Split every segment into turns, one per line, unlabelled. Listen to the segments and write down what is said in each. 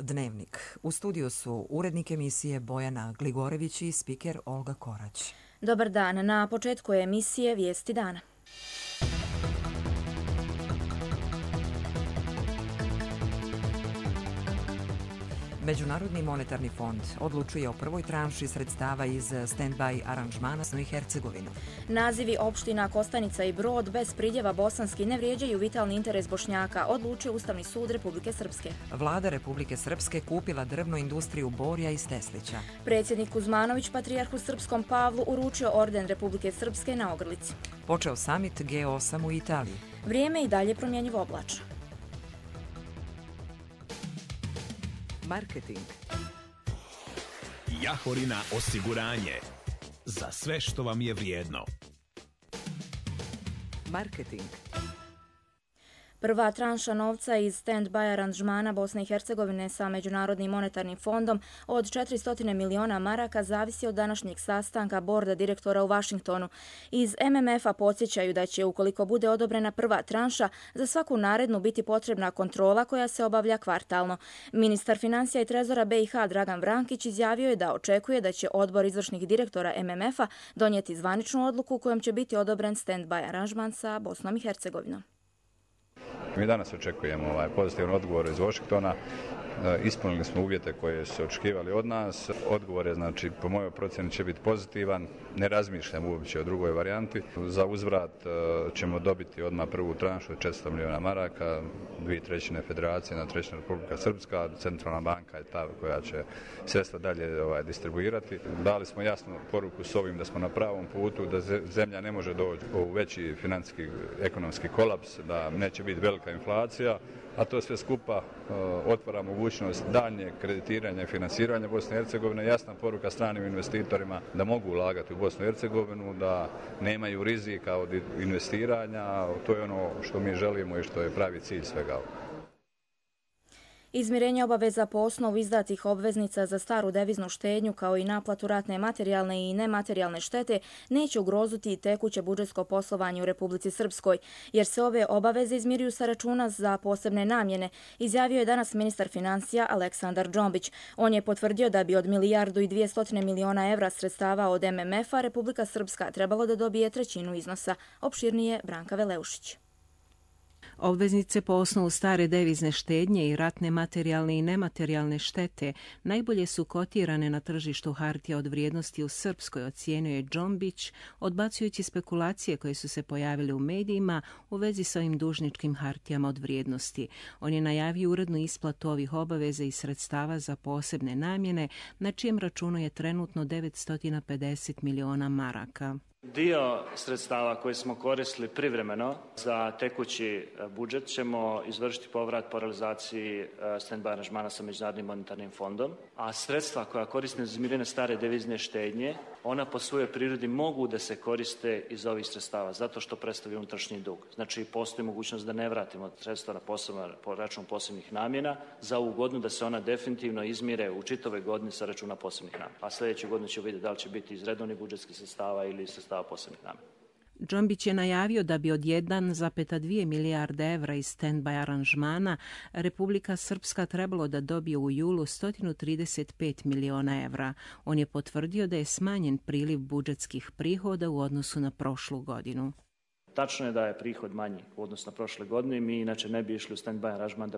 Dnevnik. U studiju su urednik emisije Bojana Gligorević i spiker Olga Korać.
Dobar dan. Na početku emisije Vijesti dana.
Međunarodni monetarni fond odlučuje o prvoj tranši sredstava iz stand-by aranžmana i Hercegovinu.
Nazivi opština Kostanica i Brod bez pridjeva bosanski ne vrijeđaju vitalni interes Bošnjaka, odlučio Ustavni sud Republike Srpske.
Vlada Republike Srpske kupila drvnu industriju Borja iz Teslića.
Predsjednik Kuzmanović patrijarhu srpskom Pavlu uručio orden Republike Srpske na Ogrlici.
Počeo samit G8 u Italiji.
Vrijeme i dalje promjenjivo oblačno.
Marketing.
Jahorina osiguranje. Za sve što vam je vrijedno.
Marketing.
Prva tranša novca iz stand-by aranžmana Bosne i Hercegovine sa Međunarodnim monetarnim fondom od 400 miliona maraka zavisi od današnjeg sastanka borda direktora u Vašingtonu. Iz MMF-a podsjećaju da će, ukoliko bude odobrena prva tranša, za svaku narednu biti potrebna kontrola koja se obavlja kvartalno. Ministar financija i trezora BiH Dragan Vrankić izjavio je da očekuje da će odbor izvršnih direktora MMF-a donijeti zvaničnu odluku kojom će biti odobren stand-by aranžman sa Bosnom i Hercegovinom.
Mi danas očekujemo pozitivan odgovor iz Washingtona. Ispunili smo uvjete koje su očekivali od nas. Odgovor je, po mojoj procjeni, će biti pozitivan. Ne razmišljam uopće o drugoj varijanti. Za uzvrat ćemo dobiti odmah prvu tranšu od 400 miliona maraka, 2/3 federacije, 1/3 Republika Srpska, centralna banka je ta koja će sredstva dalje distribuirati. Dali smo jasnu poruku s ovim da smo na pravom putu, da zemlja ne može doći u veći financijski, ekonomski kolaps, da neće biti velika inflacija, a to sve skupa otvara mogućnost daljnjeg kreditiranja i finansiranja Bosne i Hercegovine. Jasna poruka stranim investitorima da mogu ulagati u Bosnu i Hercegovinu, da nemaju rizika od investiranja. To je ono što mi želimo i što je pravi cilj svega ovoga.
Izmirenje obaveza po osnovu izdatih obveznica za staru deviznu štednju kao i naplatu ratne materijalne i nematerijalne štete neće ugroziti tekuće budžetsko poslovanje u Republici Srpskoj, jer se ove obaveze izmiruju sa računa za posebne namjene, izjavio je danas ministar financija Aleksandar Džombić. On je potvrdio da bi od 1.200 miliona evra sredstava od MMF-a Republika Srpska trebalo da dobije trećinu iznosa. Opširnije Branka Veleušić.
Obveznice po osnovu stare devizne štednje i ratne materijalne i nematerijalne štete najbolje su kotirane na tržištu hartija od vrijednosti u Srpskoj, ocijenio je Džombić, odbacujući spekulacije koje su se pojavile u medijima u vezi sa ovim dužničkim hartijama od vrijednosti. On je najavio urednu isplatu ovih obaveza i sredstava za posebne namjene, na čijem računu je trenutno 950 miliona maraka.
Dio sredstava koje smo koristili privremeno za tekući budžet ćemo izvršiti povrat po realizaciji stand-by aranžmana sa Međunarodnim monetarnim fondom, a sredstva koja koriste za izmirenje stare devizne štednje, ona po svojoj prirodi mogu da se koriste iz ovih sredstava, zato što predstavlja unutrašnji dug. Znači, postoji mogućnost da ne vratimo sredstva po račun posebnih namjena za ovu godinu, da se ona definitivno izmire u čitavoj godini sa računa posebnih namjena. A sljedeće godine ćemo vidjeti da li će biti iz redovnih budžetskih sredstava ili sredstava posebnih namjena.
Džombić je najavio da bi od 1,2 milijarde evra iz stand-by aranžmana Republika Srpska trebalo da dobije u julu 135 miliona evra. On je potvrdio da je smanjen priliv budžetskih prihoda u odnosu na prošlu godinu.
Tačno je da je prihod manji u odnosu na prošle godine. Mi inače ne bi išli u stand-by aranžman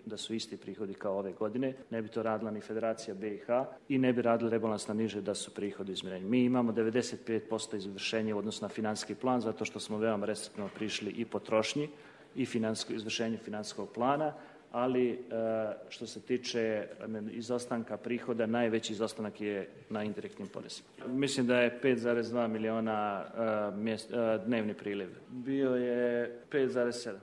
da su isti prihodi kao ove godine. Ne bi to radila ni Federacija BiH i ne bi radili rebalans na niže da su prihodi izmjereni. Mi imamo 95% izvršenja u odnosu na financijski plan zato što smo veoma restriktivno prišli i potrošnji i izvršenju financijskog plana, ali što se tiče izostanka prihoda, najveći izostanak je na indirektnim porezima. Mislim da je 5,2 miliona dnevni priliv. Bio je 5,7.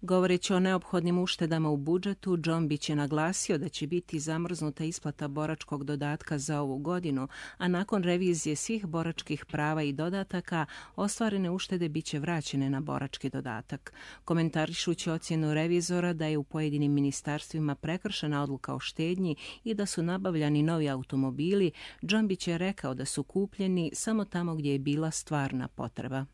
Govoreći o neophodnim uštedama u budžetu, Džombić je naglasio da će biti zamrznuta isplata boračkog dodatka za ovu godinu, a nakon revizije svih boračkih prava i dodataka, ostvarene uštede bit će vraćene na borački dodatak. Komentarišući ocjenu revizora da je u pojedinim ministarstvima prekršena odluka o štednji i da su nabavljani novi automobili, Džombić je rekao da su kupljeni samo tamo gdje je bila stvarna potreba.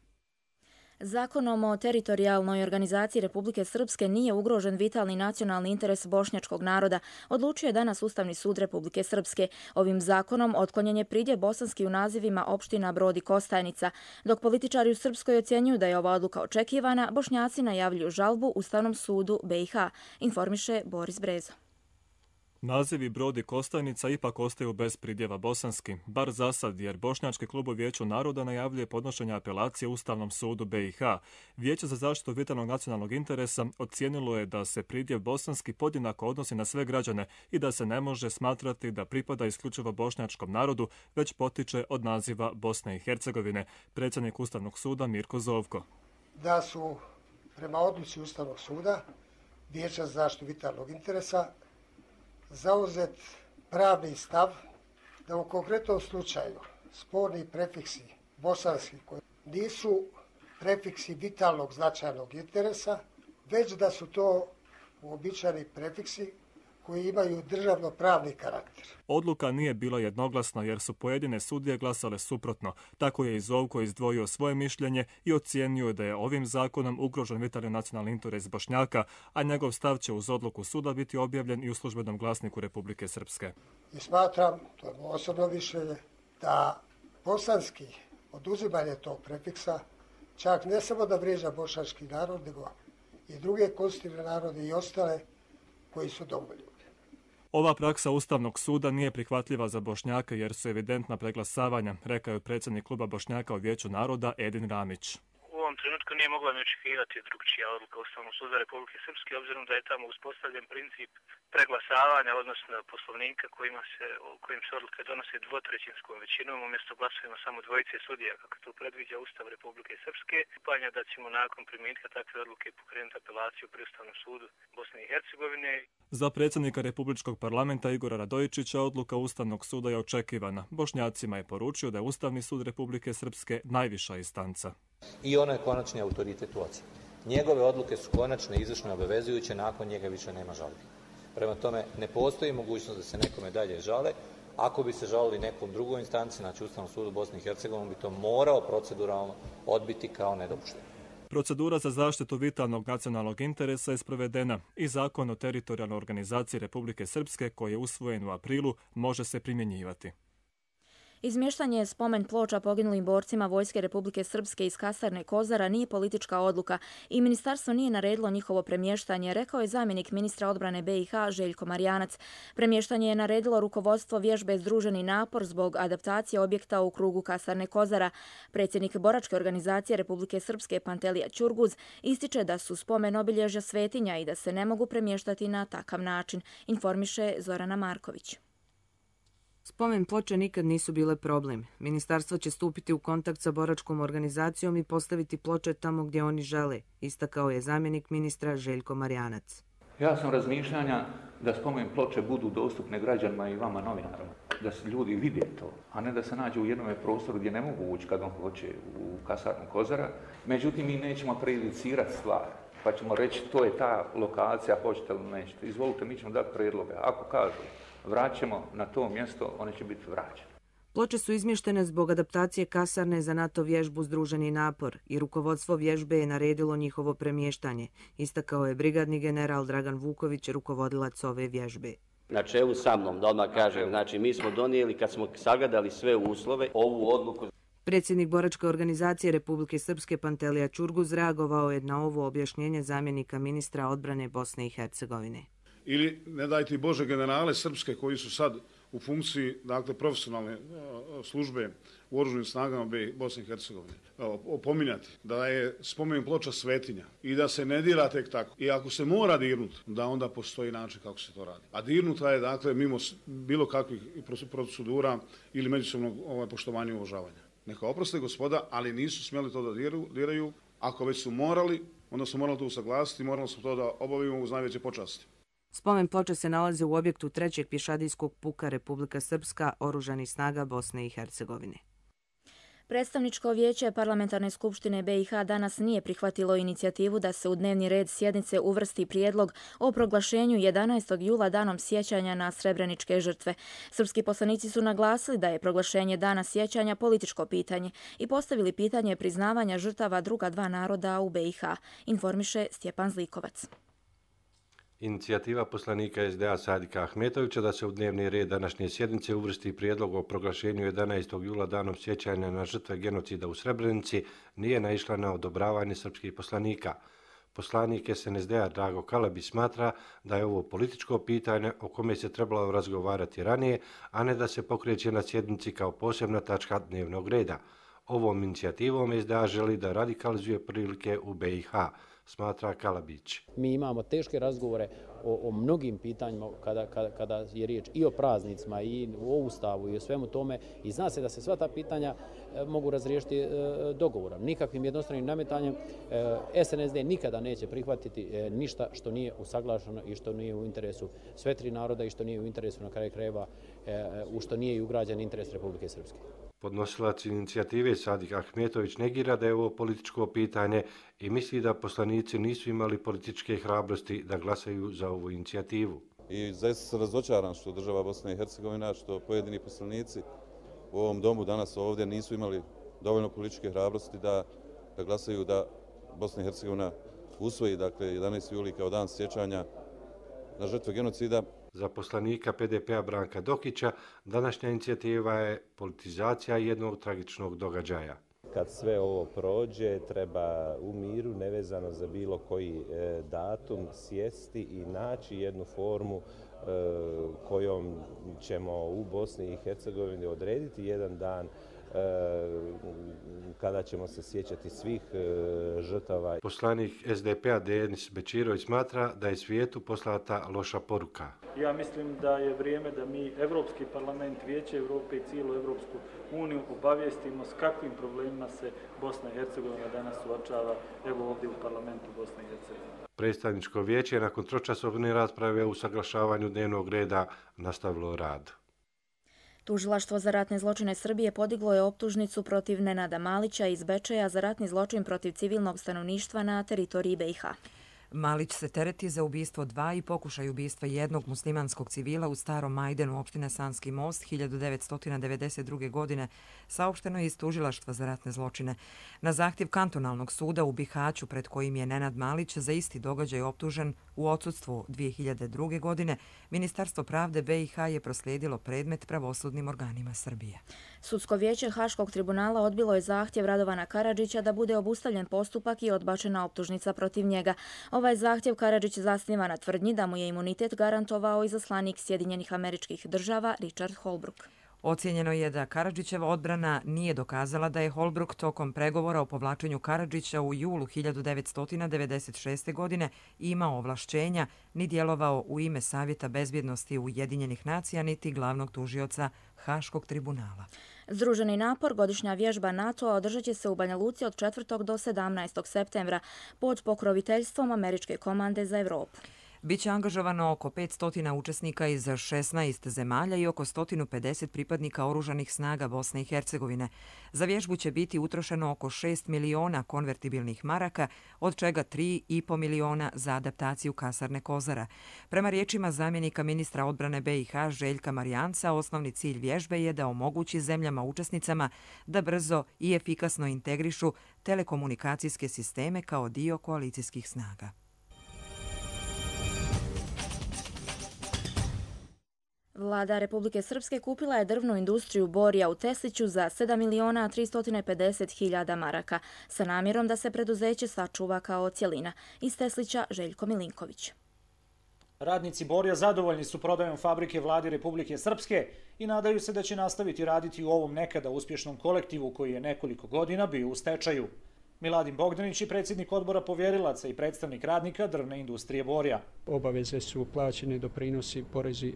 Zakonom o teritorijalnoj organizaciji Republike Srpske nije ugrožen vitalni nacionalni interes bošnjačkog naroda, odlučio je danas Ustavni sud Republike Srpske. Ovim zakonom otklonjen je pridjev bosanski u nazivima opština Brod i Kostajnica. Dok političari u Srpskoj ocjenjuju da je ova odluka očekivana, Bošnjaci najavljuju žalbu Ustavnom sudu BiH, informiše Boris Brezo.
Nazivi Brod i Kostajnica ipak ostaju bez pridjeva bosanski, bar za sad, jer Bošnjački klub u Vijeću naroda najavljuje podnošenje apelacije Ustavnom sudu BiH. Vijeće za zaštitu vitalnog nacionalnog interesa ocijenilo je da se pridjev bosanski podjednako odnosi na sve građane i da se ne može smatrati da pripada isključivo bošnjačkom narodu, već potiče od naziva Bosne i Hercegovine. Predsjednik Ustavnog suda Mirko Zovko.
Da su prema odluci Ustavnog suda Vijeća za zaštitu vitalnog interesa zauzet pravni stav da u konkretnom slučaju sporni prefiksi bosanski koji nisu prefiksi vitalnog značajnog interesa, već da su to uobičajeni prefiksi koji imaju državno-pravni karakter.
Odluka nije bila jednoglasna jer su pojedine sudije glasale suprotno. Tako je i Zovko izdvojio svoje mišljenje i ocijenio da je ovim zakonom ugrožen vitalni nacionalni interes Bošnjaka, a njegov stav će uz odluku suda biti objavljen i u službenom glasniku Republike Srpske.
I smatram, to je moje osobno mišljenje, da bosanski oduzimanje tog prefiksa čak ne samo da vrijeđa bošnjački narod, nego i druge konstitutivne narode i ostale koji su domoljubi.
Ova praksa Ustavnog suda nije prihvatljiva za Bošnjake jer su evidentna preglasavanja, rekao je predsjednik kluba Bošnjaka u Vijeću naroda Edin Ramić.
U ovom trenutku nije mogla ni očekivati drugčija odluka Ustavnog suda Republike Srpske, obzirom da je tamo uspostavljen princip preglasavanja, odnosno poslovnika kojim se odluke donose dvotrećinskom većinom, umjesto glasovima samo dvojice sudija, kako to predviđa Ustav Republike Srpske. Upanja da ćemo nakon primitka takve odluke pokrenuti apelaciju pri Ustavnom sudu Bosne i Hercegovine.
Za predsjednika Republičkog parlamenta Igora Radojičića odluka Ustavnog suda je očekivana. Bošnjacima je poručio da je Ustavni sud Republike Srpske najviša instanca.
I ono je konačni autoritet u ocjeni. Njegove odluke su konačne, izvršne, obavezujuće, nakon njega više nema žalbi. Prema tome, ne postoji mogućnost da se nekome dalje žale. Ako bi se žalili nekom drugoj instanci, znači Ustavnom sudu Bosne i Hercegovine, bi to morao proceduralno odbiti kao nedopušteno.
Procedura za zaštitu vitalnog nacionalnog interesa je sprovedena i Zakon o teritorijalnoj organizaciji Republike Srpske, koji je usvojen u aprilu, može se primjenjivati.
Izmještanje spomen ploča poginulim borcima Vojske Republike Srpske iz kasarne Kozara nije politička odluka i ministarstvo nije naredilo njihovo premještanje, rekao je zamjenik ministra odbrane BiH Željko Marjanac. Premještanje je naredilo rukovodstvo vježbe Združeni napor zbog adaptacije objekta u krugu kasarne Kozara. Predsjednik boračke organizacije Republike Srpske Pantelija Ćurguz ističe da su spomen obilježja svetinja i da se ne mogu premještati na takav način, informiše Zorana Marković.
Spomen ploče nikad nisu bile problem. Ministarstvo će stupiti u kontakt sa boračkom organizacijom i postaviti ploče tamo gdje oni žele, istakao je zamjenik ministra Željko Marjanac.
Ja sam razmišljanja da spomen ploče budu dostupne građanima i vama novinarima, da se ljudi vide to, a ne da se nađu u jednom prostoru gdje ne mogu ući kad on hoće u kasarnu Kozara. Međutim, mi nećemo prejudicirati stvar, pa ćemo reći to je ta lokacija, hoćete ili nećete. Izvolite, mi ćemo dati prijedloge. Ako kažu vraćamo na to mjesto, one će biti vraćene.
Ploče su izmještene zbog adaptacije kasarne za NATO vježbu Združeni napor i rukovodstvo vježbe je naredilo njihovo premještanje, istakao je brigadni general Dragan Vuković, rukovodilac ove vježbe.
Na čelu sa mnom, da odmah kažem, znači mi smo donijeli, kad smo sagledali sve uslove, ovu odluku.
Predsjednik boračke organizacije Republike Srpske Pantelija Ćurguz reagovao je na ovo objašnjenje zamjenika ministra odbrane Bosne i Hercegovine.
Ili, ne dajte Bože, generale srpske koji su sad u funkciji, dakle, profesionalne službe u oružanim snagama Bosne i Hercegovine. Opominjati da je spomen ploča svetinja i da se ne dira tek tako. I ako se mora dirnuti, da onda postoji način kako se to radi. A dirnuta je, dakle, mimo bilo kakvih procedura ili međusobnog poštovanja i uvažavanja. Neka oproste gospoda, ali nisu smjeli to da diraju. Ako već su morali, onda su morali to usaglasiti, morali smo to da obavimo uz najveće počasti.
Spomen ploče se nalaze u objektu 3. pješadijskog puka Republika Srpska, oružanih snaga Bosne i Hercegovine.
Predstavničko vijeće Parlamentarne skupštine BiH danas nije prihvatilo inicijativu da se u dnevni red sjednice uvrsti prijedlog o proglašenju 11. jula danom sjećanja na srebreničke žrtve. Srpski poslanici su naglasili da je proglašenje dana sjećanja političko pitanje i postavili pitanje priznavanja žrtava druga dva naroda u BiH, informiše Stjepan Zlikovac.
Inicijativa poslanika SDA Sadika Ahmetovića da se u dnevni red današnje sjednice uvrsti prijedlog o proglašenju 11. jula danom sjećanja na žrtve genocida u Srebrenici nije naišla na odobravanje srpskih poslanika. Poslanik SNSD-a Drago Kalabić smatra da je ovo političko pitanje o kome se trebalo razgovarati ranije, a ne da se pokreće na sjednici kao posebna tačka dnevnog reda. Ovom inicijativom SDA želi da radikalizuje prilike u BiH, smatra Kalabić.
Mi imamo teške razgovore o mnogim pitanjima kada je riječ i o praznicima i o Ustavu i o svemu tome i zna se da se sva ta pitanja mogu razriješiti dogovorom. Nikakvim jednostranim nametanjem SNSD nikada neće prihvatiti ništa što nije usaglašeno i što nije u interesu sve tri naroda i što nije u interesu na kraju krajeva, u što nije i ugrađen interes Republike Srpske.
Podnosilac inicijative Sadik Ahmetović negira da je ovo političko pitanje i misli da poslanici nisu imali političke hrabrosti da glasaju za ovu inicijativu.
I zaista sam razočaran što država Bosna i Hercegovina, što pojedini poslanici u ovom domu danas ovdje nisu imali dovoljno političke hrabrosti da glasaju da Bosna i Hercegovina usvoji 11. juli kao dan sjećanja na žrtve genocida.
Za poslanika PDP-a Branka Dokića današnja inicijativa je politizacija jednog tragičnog događaja.
Kad sve ovo prođe, treba u miru, nevezano za bilo koji datum, sjesti i naći jednu formu kojom ćemo u Bosni i Hercegovini odrediti jedan dan kada ćemo se sjećati svih žrtava.
Poslanik SDP-a Denis Bečirović smatra da je svijetu poslata loša poruka.
Ja mislim da je vrijeme da mi, Evropski parlament, Vijeće Evrope i cijelu Evropsku uniju obavijestimo s kakvim problemima se Bosna i Hercegovina danas suočava, evo ovdje u parlamentu Bosne i Hercegovine.
Predstavničko vijeće nakon tročasovne rasprave o usaglašavanju dnevnog reda nastavilo rad.
Tužilaštvo za ratne zločine Srbije podiglo je optužnicu protiv Nenada Malića iz Bečeja za ratni zločin protiv civilnog stanovništva na teritoriji BiH.
Malić se tereti za ubistvo 2 i pokušaj ubistva jednog muslimanskog civila u Starom Majdenu, opštine Sanski most, 1992. godine, saopšteno je iz Tužilaštva za ratne zločine. Na zahtjev kantonalnog suda u Bihaću, pred kojim je Nenad Malić za isti događaj optužen u odsudstvu 2002. godine, Ministarstvo pravde BiH je proslijedilo predmet pravosudnim organima Srbije.
Sudsko vijeće Haškog tribunala odbilo je zahtjev Radovana Karadžića da bude obustavljen postupak i odbačena optužnica protiv njega. Ovaj zahtjev Karadžić zasniva na tvrdnji da mu je imunitet garantovao izaslanik Sjedinjenih Američkih Država Richard Holbrooke.
Ocijenjeno je da Karadžićeva odbrana nije dokazala da je Holbrooke tokom pregovora o povlačenju Karadžića u julu 1996. godine imao ovlašćenja ni djelovao u ime Savjeta bezbjednosti Ujedinjenih nacija niti glavnog tužioca Haškog tribunala.
Združeni napor, godišnja vježba NATO-a održat će se u Banja Luci od 4. do 17. septembra pod pokroviteljstvom Američke komande za Evropu.
Biće angažovano oko 500 učesnika iz 16 zemalja i oko 150 pripadnika oružanih snaga Bosne i Hercegovine. Za vježbu će biti utrošeno oko 6 miliona konvertibilnih maraka, od čega 3,5 miliona za adaptaciju kasarne Kozara. Prema riječima zamjenika ministra odbrane BiH Željka Marijanca, osnovni cilj vježbe je da omogući zemljama učesnicama da brzo i efikasno integrišu telekomunikacijske sisteme kao dio koalicijskih snaga.
Vlada Republike Srpske kupila je drvnu industriju Borija u Tesliću za 7.350.000 maraka sa namjerom da se preduzeće sačuva kao cjelina. Iz Teslića Željko Milinković.
Radnici Borija zadovoljni su prodajom fabrike Vladi Republike Srpske i nadaju se da će nastaviti raditi u ovom nekada uspješnom kolektivu koji je nekoliko godina bio u stečaju. Miladin Bogdanić je predsjednik odbora povjerilaca i predstavnik radnika drvne industrije Borija.
Obaveze su plaćene, doprinosi, porezi,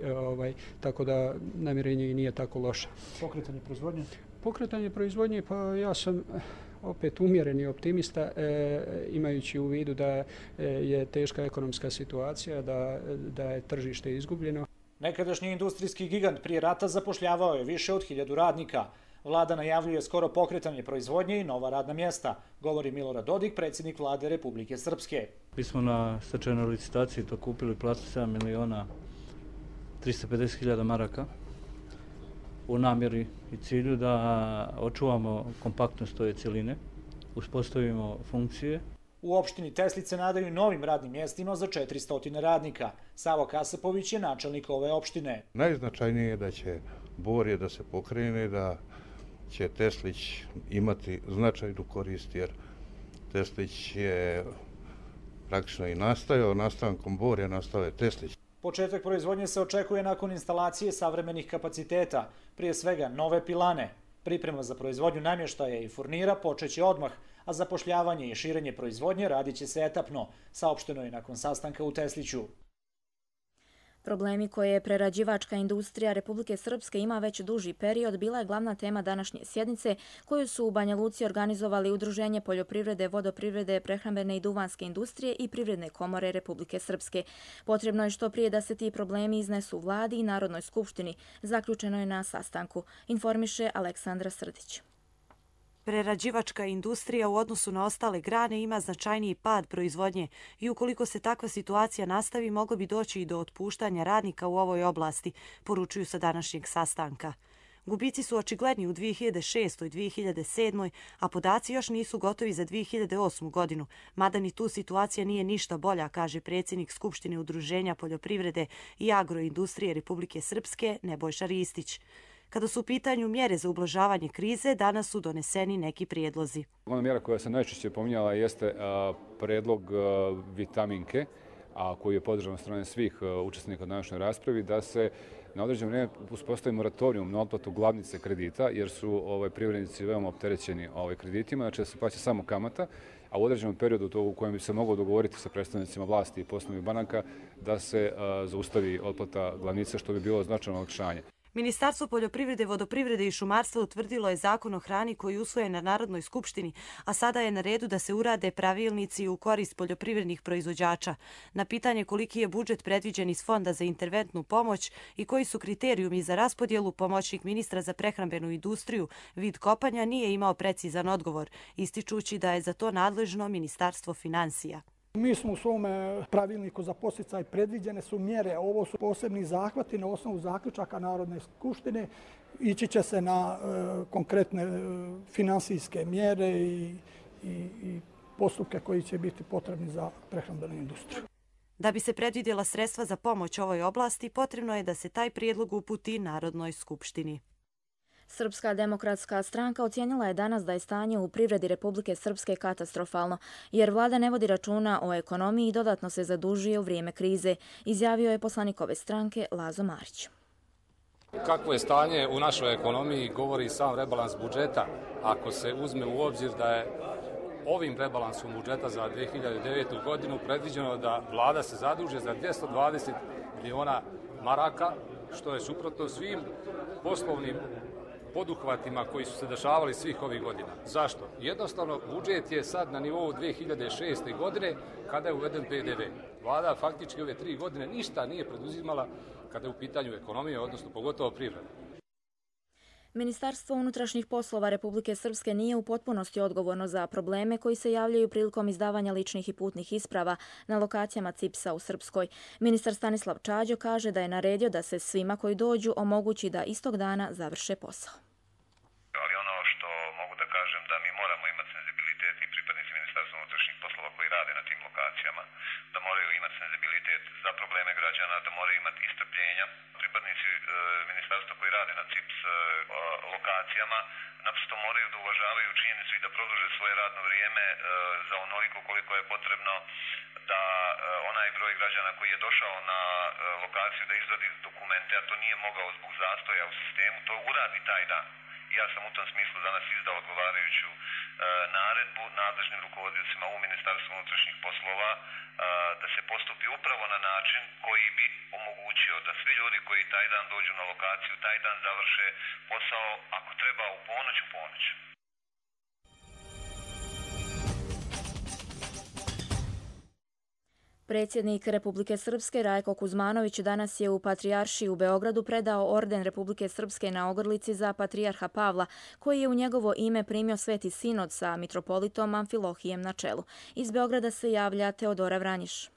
tako da namirenje i nije tako loše.
Pokretanje proizvodnje? Pokretanje
proizvodnje, pa ja sam opet umjereni optimista, imajući u vidu da je teška ekonomska situacija, da je tržište izgubljeno.
Nekadašnji industrijski gigant prije rata zapošljavao je više od 1000 radnika. Vlada najavljuje skoro pokretanje proizvodnje i nova radna mjesta, govori Milorad Dodik, predsjednik Vlade Republike Srpske.
Mi smo na stečajnoj licitaciji to kupili placu 7.350.000 maraka u namjeri i cilju da očuvamo kompaktnost ove cjeline, uspostavimo funkcije.
U opštini Teslice nadaju novim radnim mjestima za 400 radnika. Savo Kasapović je načelnik ove opštine.
Najznačajnije je da će Borje da se pokrene, da će Teslić imati značajnu korist, jer Teslić je praktično i nastajao, nastankom Borja nastao je Teslić.
Početak proizvodnje se očekuje nakon instalacije savremenih kapaciteta, prije svega nove pilane. Priprema za proizvodnju namještaja i furnira počeće odmah, a zapošljavanje i širenje proizvodnje radit će se etapno, saopšteno je nakon sastanka u Tesliću.
Problemi koje prerađivačka industrija Republike Srpske ima već duži period bila je glavna tema današnje sjednice koju su u Banja Luci organizovali Udruženje poljoprivrede, vodoprivrede, prehrambene i duvanske industrije i Privredne komore Republike Srpske. Potrebno je što prije da se ti problemi iznesu Vladi i Narodnoj skupštini, zaključeno je na sastanku, informiše Aleksandra Srdić.
Prerađivačka industrija u odnosu na ostale grane ima značajniji pad proizvodnje i ukoliko se takva situacija nastavi, moglo bi doći i do otpuštanja radnika u ovoj oblasti, poručuju sa današnjeg sastanka. Gubici su očigledni u 2006. i 2007. a podaci još nisu gotovi za 2008. godinu, mada ni tu situacija nije ništa bolja, kaže predsjednik Skupštine Udruženja poljoprivrede i agroindustrije Republike Srpske Nebojša Ristić. Kada su u pitanju mjere za ublažavanje krize, danas su doneseni neki prijedlozi.
Ona mjera koja se najčešće pominjala jeste predlog vitaminke, koji je podržan od strane svih učesnika u današnjoj raspravi, da se na određeno vrijeme uspostavi moratorijum na otplatu glavnice kredita, jer su privrednici veoma opterećeni kreditima, znači da se plaća samo kamata, a u određenom periodu u kojem bi se moglo dogovoriti sa predstavnicima vlasti i poslovnih banaka da se zaustavi otplata glavnice, što bi bilo značajno olakšanje.
Ministarstvo poljoprivrede, vodoprivrede i šumarstva utvrdilo je zakon o hrani koji je usvojen na Narodnoj skupštini, a sada je na redu da se urade pravilnici u korist poljoprivrednih proizvođača. Na pitanje koliki je budžet predviđen iz Fonda za interventnu pomoć i koji su kriterijumi za raspodjelu, pomoćnik ministra za prehrambenu industriju Vid Kopanja nije imao precizan odgovor, ističući da je za to nadležno Ministarstvo finansija.
Mi smo u svom pravilniku za podsticaj predviđene su mjere, ovo su posebni zahvati na osnovu zaključaka Narodne skupštine, ići će se na konkretne finansijske mjere i postupke koji će biti potrebni za prehrambenu industriju.
Da bi se predvidjela sredstva za pomoć ovoj oblasti, potrebno je da se taj prijedlog uputi Narodnoj skupštini.
Srpska demokratska stranka ocijenila je danas da je stanje u privredi Republike Srpske katastrofalno, jer vlada ne vodi računa o ekonomiji i dodatno se zadužuje u vrijeme krize, izjavio je poslanik ove stranke Lazo Marić.
Kakvo je stanje u našoj ekonomiji govori sam rebalans budžeta. Ako se uzme u obzir da je ovim rebalansom budžeta za 2009. godinu predviđeno da vlada se zaduže za 220 miliona maraka, što je suprotno svim poslovnim poduhvatima koji su se dešavali svih ovih godina. Zašto? Jednostavno, budžet je sad na nivou 2006. godine kada je uveden PDV. Vlada faktički ove 3 godine ništa nije preduzimala kada je u pitanju ekonomije, odnosno pogotovo privreda.
Ministarstvo unutrašnjih poslova Republike Srpske nije u potpunosti odgovorno za probleme koji se javljaju prilikom izdavanja ličnih i putnih isprava na lokacijama CIPS-a u Srpskoj. Ministar Stanislav Čađo kaže da je naredio da se svima koji dođu omogući da istog dana završe posao.
Ali ono što mogu da kažem da mi moramo imati senzibilitet i pripadnici Ministarstva unutrašnjih poslova koji rade na tim lokacijama, da moraju imati senzibilitet za probleme građana, da moraju imati istrpljenja. Pripadnici ministarstva koji rade na CIPS lokacijama naprosto moraju da uvažavaju činjenicu i da produže svoje radno vrijeme za onoliko koliko je potrebno da onaj broj građana koji je došao na lokaciju da izvadi dokumente, a to nije mogao zbog zastoja u sistemu, to uradi taj dan. Ja sam u tom smislu danas izdao odgovarajuću naredbu nadležnim rukovodiocima u Ministarstvu unutrašnjih poslova da se postupi upravo na način koji bi omogućio da svi ljudi koji taj dan dođu na lokaciju, taj dan završe posao, ako treba u ponoć.
Predsjednik Republike Srpske Rajko Kuzmanović danas je u Patrijaršiji u Beogradu predao orden Republike Srpske na ogrlici za patrijarha Pavla, koji je u njegovo ime primio Sveti sinod sa mitropolitom Amfilohijem na čelu. Iz Beograda se javlja Teodora Vranjiš.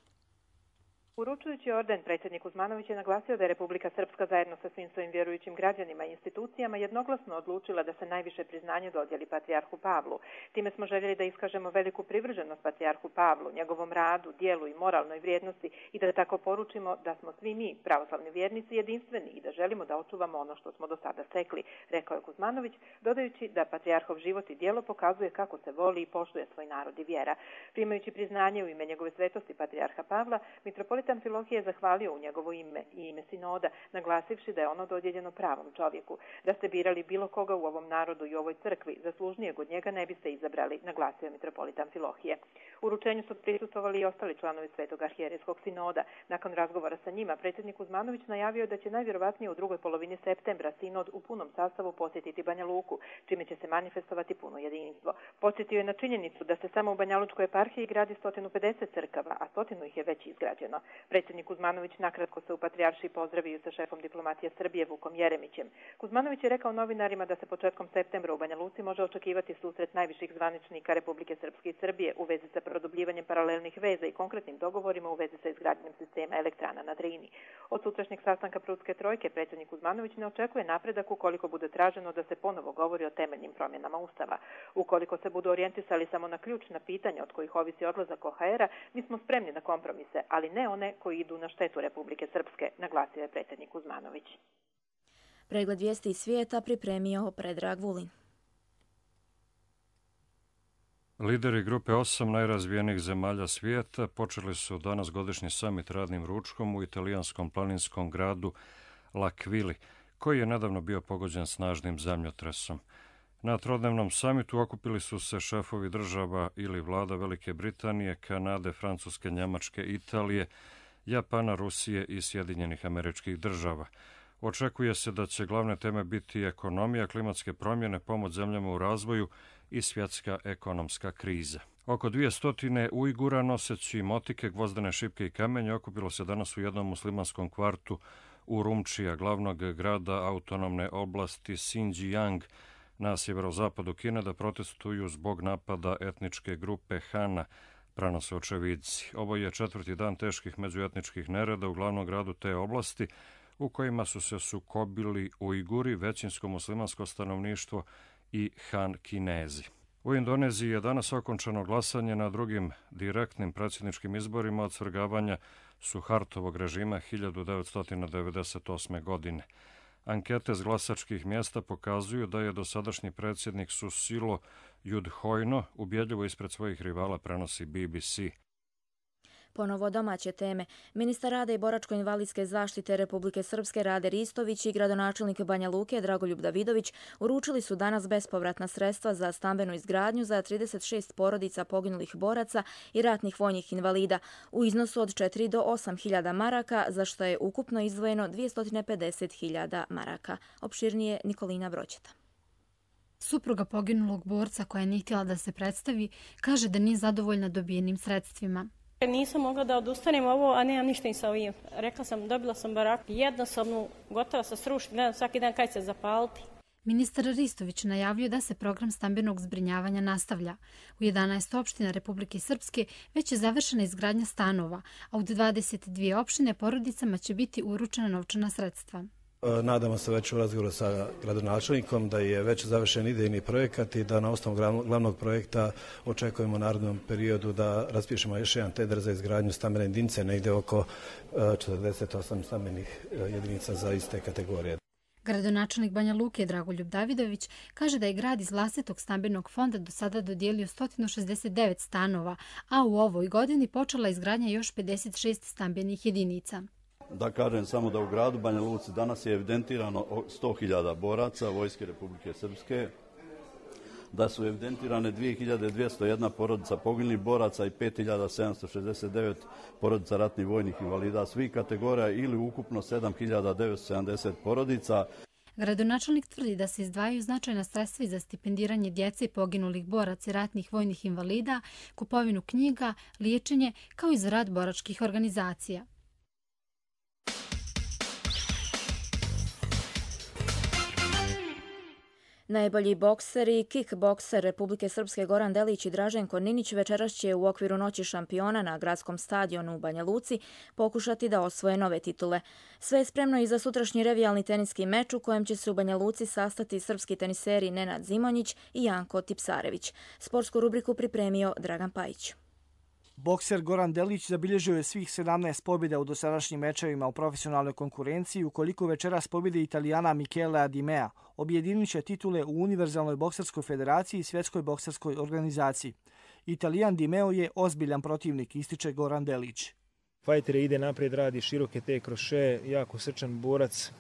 Uručujući orden, predsjednik Kuzmanović je naglasio da je Republika Srpska zajedno sa svim svojim vjerujućim građanima i institucijama jednoglasno odlučila da se najviše priznanje dodijeli patrijarhu Pavlu. Time smo željeli da iskažemo veliku privrženost patrijarhu Pavlu, njegovom radu, dijelu i moralnoj vrijednosti i da tako poručimo da smo svi mi, pravoslavni vjernici, jedinstveni i da želimo da očuvamo ono što smo do sada stekli, rekao je Kuzmanović, dodajući da patrijarhov život i djelo pokazuje kako se voli i poštuje svoj narod i vjera. Primajući priznanje u ime njegove svetosti patrijarha Pavla, mitropolit Amfilohije je zahvalio u njegovo ime i ime sinoda, naglasivši da je ono dodijeljeno pravom čovjeku. Da ste birali bilo koga u ovom narodu i ovoj crkvi, zaslužnijeg od njega ne biste izabrali, naglasio je mitropolit Amfilohije. Uručenju su prisustvovali i ostali članovi Svetog arhijerejskog sinoda. Nakon razgovora sa njima, predsjednik Kuzmanović najavio da će najvjerovatnije u drugoj polovini septembra sinod u punom sastavu posjetiti Banja Luku, čime će se manifestovati puno jedinstvo. Podsjetio je na činjenicu da se samo u Banjalučkoj eparhiji gradi 150 crkava, a 100 ih je već izgrađeno. Predsjednik Kuzmanović nakratko se u Patrijaršiji pozdravio sa šefom diplomatije Srbije Vukom Jeremićem. Kuzmanović je rekao novinarima da se početkom septembra u Banja Luci može očekivati susret najviših zvaničnika Republike Srpske i Srbije u vezi sa produbljivanjem paralelnih veza i konkretnim dogovorima u vezi sa izgradnjom sistema elektrana na Drini. Od sutrašnjeg sastanka Prudske trojke predsjednik Kuzmanović ne očekuje napredak ukoliko bude traženo da se ponovo govori o temeljnim promjenama Ustava. Ukoliko se budu orijentisali samo na ključna pitanja od kojih ovisi odlazak OHR-a, mi smo spremni na kompromise, ali ne one koji idu na štetu Republike Srpske, naglasio je predsjednik Kuzmanović.
Pregled vijesti iz svijeta pripremio Predrag Vulin.
Lideri grupe 8 najrazvijenijih zemalja svijeta počeli su danas godišnji samit radnim ručkom u italijanskom planinskom gradu L'Aquili, koji je nedavno bio pogođen snažnim zemljotresom. Na trodnevnom samitu okupili su se šefovi država ili vlada Velike Britanije, Kanade, Francuske, Njemačke, Italije, Japana, Rusije i Sjedinjenih Američkih Država. Očekuje se da će glavne teme biti ekonomija, klimatske promjene, pomoć zemljama u razvoju i svjetska ekonomska kriza. Oko 200 Ujgura noseći motike, gvozdene šipke i kamenje okupilo se danas u jednom muslimanskom kvartu Urumčija, glavnog grada autonomne oblasti Xinjiang na sjeverozapadu Kine, da protestuju zbog napada etničke grupe Hana, prenose očevidci. Ovo je 4. dan teških međuetničkih nereda u glavnom gradu te oblasti, u kojima su se sukobili Ujguri, većinsko muslimansko stanovništvo i Han Kinezi. U Indoneziji je danas okončano glasanje na drugim direktnim predsjedničkim izborima od svrgavanja Suhartovog režima 1998. godine. Ankete s glasačkih mjesta pokazuju da je dosadašnji predsjednik Susilo Yudhoyono ubjedljivo ispred svojih rivala, prenosi BBC.
Ponovo domaće teme. Ministar rada i boračko-invalidske zaštite Republike Srpske Rade Ristović i gradonačelnik Banja Luke Dragoljub Davidović uručili su danas bespovratna sredstva za stambenu izgradnju za 36 porodica poginulih boraca i ratnih vojnih invalida u iznosu od 4 do 8.000 maraka, za što je ukupno izdvojeno 250.000 maraka. Opširnije Nikolina Broćeta.
Supruga poginulog borca, koja nije htjela da se predstavi, kaže da nije zadovoljna dobijenim sredstvima.
Nisam mogla da odustanem ovo, a nemam ništa i sa ovim. Rekla sam, dobila sam baraku jednosobnu, gotova sa srušiti, gledam svaki dan kaj se zapaliti.
Ministar Ristović najavljuje da se program stambenog zbrinjavanja nastavlja. U 11 opština Republike Srpske već je završena izgradnja stanova, a u 22 opštine porodicama će biti uručena novčana sredstva.
Nadamo se već u razgovoru sa gradonačelnikom da je već završen idejni projekat i da na osnovu glavnog projekta očekujemo u narednom periodu da raspišemo još jedan tender za izgradnju stambene jedinice, negdje oko 48 stambenih jedinica za iste kategorije.
Gradonačelnik Banja Luke Dragoljub Davidović kaže da je grad iz vlastitog stambenog fonda do sada dodijelio 169 stanova, a u ovoj godini počela izgradnja još 56 stambenih jedinica.
Da kažem samo da u gradu Banja Luci danas je evidentirano 100.000 boraca Vojske Republike Srpske, da su evidentirane 2.201 porodica poginulih boraca i 5.769 porodica ratnih vojnih invalida svih kategorija ili ukupno 7.970 porodica.
Gradonačelnik tvrdi da se izdvajaju značajna sredstva za stipendiranje djece poginulih boraca i ratnih vojnih invalida, kupovinu knjiga, liječenje, kao i za rad boračkih organizacija.
Najbolji bokser i kickbokser Republike Srpske Goran Delić i Draženko Ninić večeras će u okviru Noći šampiona na gradskom stadionu u Banja Luci pokušati da osvoje nove titule. Sve je spremno i za sutrašnji revijalni teniski meč u kojem će se u Banja Luci sastati srpski teniseri Nenad Zimonjić i Janko Tipsarević. Sportsku rubriku pripremio Dragan Pajić.
Bokser Goran Delić zabilježio je svih 17 pobjeda u dosadašnjim mečevima u profesionalnoj konkurenciji, ukoliko večeras pobjede Italijana Michela Dimea, objedinit će titule u Univerzalnoj bokserskoj federaciji i Svjetskoj bokserskoj organizaciji. Italijan Dimeo je ozbiljan protivnik, ističe Goran Delić.
Fajter ide naprijed, radi široke te kroše, jako srčan borac.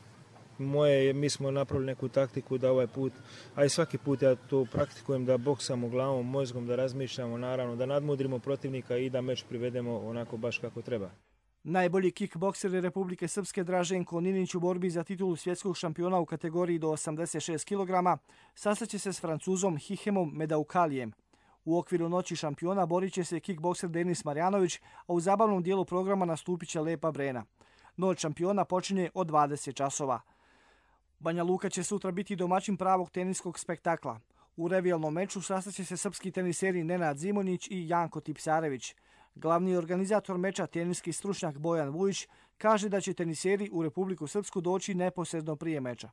Mi smo napravili neku taktiku da ovaj put, a i svaki put ja to praktikujem, da boksamo glavom, mozgom, da razmišljamo, naravno, da nadmudrimo protivnika i da meč privedemo onako baš kako treba.
Najbolji kickbokser Republike Srpske Draženko Ninić u borbi za titulu svjetskog šampiona u kategoriji do 86 kg sastaće se s Francuzom Hihemom Medaukalijem. U okviru Noći šampiona borit će se kickbokser Denis Marjanović, a u zabavnom dijelu programa nastupit će Lepa Brena. Noć šampiona počinje od 20 časova. Banja Luka će sutra biti domaćin pravog teniskog spektakla. U revijalnom meču sastaće se srpski teniseri Nenad Zimonjić i Janko Tipsarević. Glavni organizator meča, teniski stručnjak Bojan Vujić, kaže da će teniseri u Republiku Srpsku doći neposredno prije meča.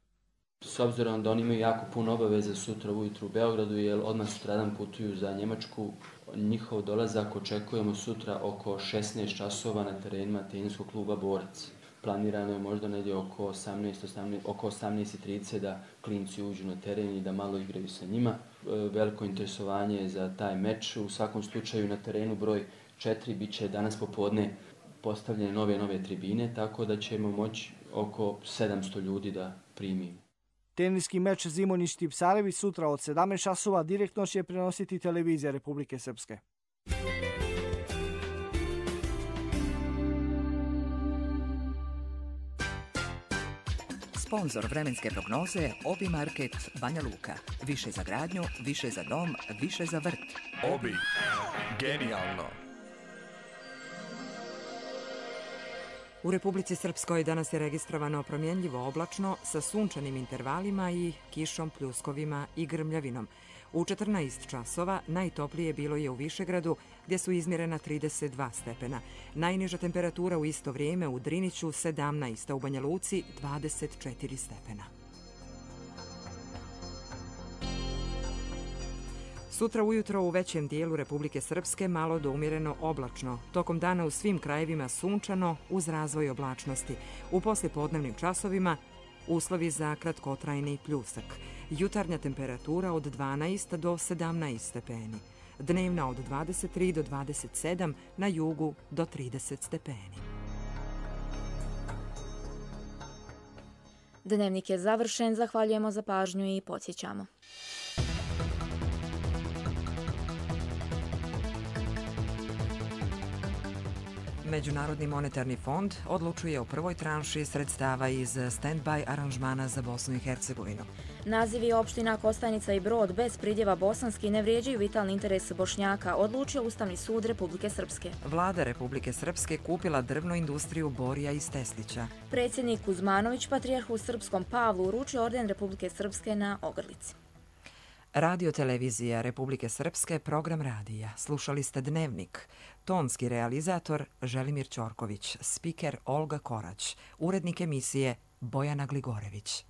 S obzirom da oni imaju jako puno obaveza sutra ujutru u Beogradu, jer odmah sutradan putuju za Njemačku, njihov dolazak očekujemo sutra oko 16 časova na terenima teniskog kluba Borac. Planirano je možda negdje oko 18:30 da klinci uđu na teren i da malo igraju sa njima. Veliko interesovanje je za taj meč. U svakom slučaju na terenu broj 4 bit će danas popodne postavljene nove tribine, tako da ćemo moći oko 700 ljudi da primimo.
Teniski meč Zimonjić-Tipsarević sutra od 17 časova direktno će prenositi televizija Republike Srpske.
Sponzor vremenske prognoze Obi Market Banja Luka. Više za gradnju, više za dom, više za vrt.
Obi. Genijalno.
U Republici Srpskoj danas je registrovano promjenljivo oblačno sa sunčanim intervalima i kišom, pljuskovima i grmljavinom. U 14 časova najtoplije bilo je u Višegradu, gdje su izmjerena 32 stepena. Najniža temperatura u isto vrijeme u Driniću 17, a u Banja Luci 24 stepena. Sutra ujutro u većem dijelu Republike Srpske malo do umjereno oblačno. Tokom dana u svim krajevima sunčano uz razvoj oblačnosti. U poslijepodnevnim časovima uslovi za kratkotrajni pljusak. Jutarnja temperatura od 12 do 17 stepeni. Dnevna od 23 do 27, na jugu do 30 stepeni.
Dnevnik je završen, zahvaljujemo za pažnju i podsjećamo.
Međunarodni monetarni fond odlučuje o prvoj tranši sredstava iz stand-by aranžmana za Bosnu i Hercegovinu.
Nazivi opština Kostajnica i Brod bez pridjeva bosanski ne vrijeđaju vitalni interes Bošnjaka, odlučio Ustavni sud Republike Srpske.
Vlada Republike Srpske kupila drvnu industriju Borija iz Teslića.
Predsjednik Kuzmanović patrijarhu srpskom Pavlu uručio orden Republike Srpske na Ogrlici.
Radio televizija Republike Srpske, program radija. Slušali ste Dnevnik. Tonski realizator Želimir Ćorković, spiker Olga Korać, urednik emisije Bojana Gligorević.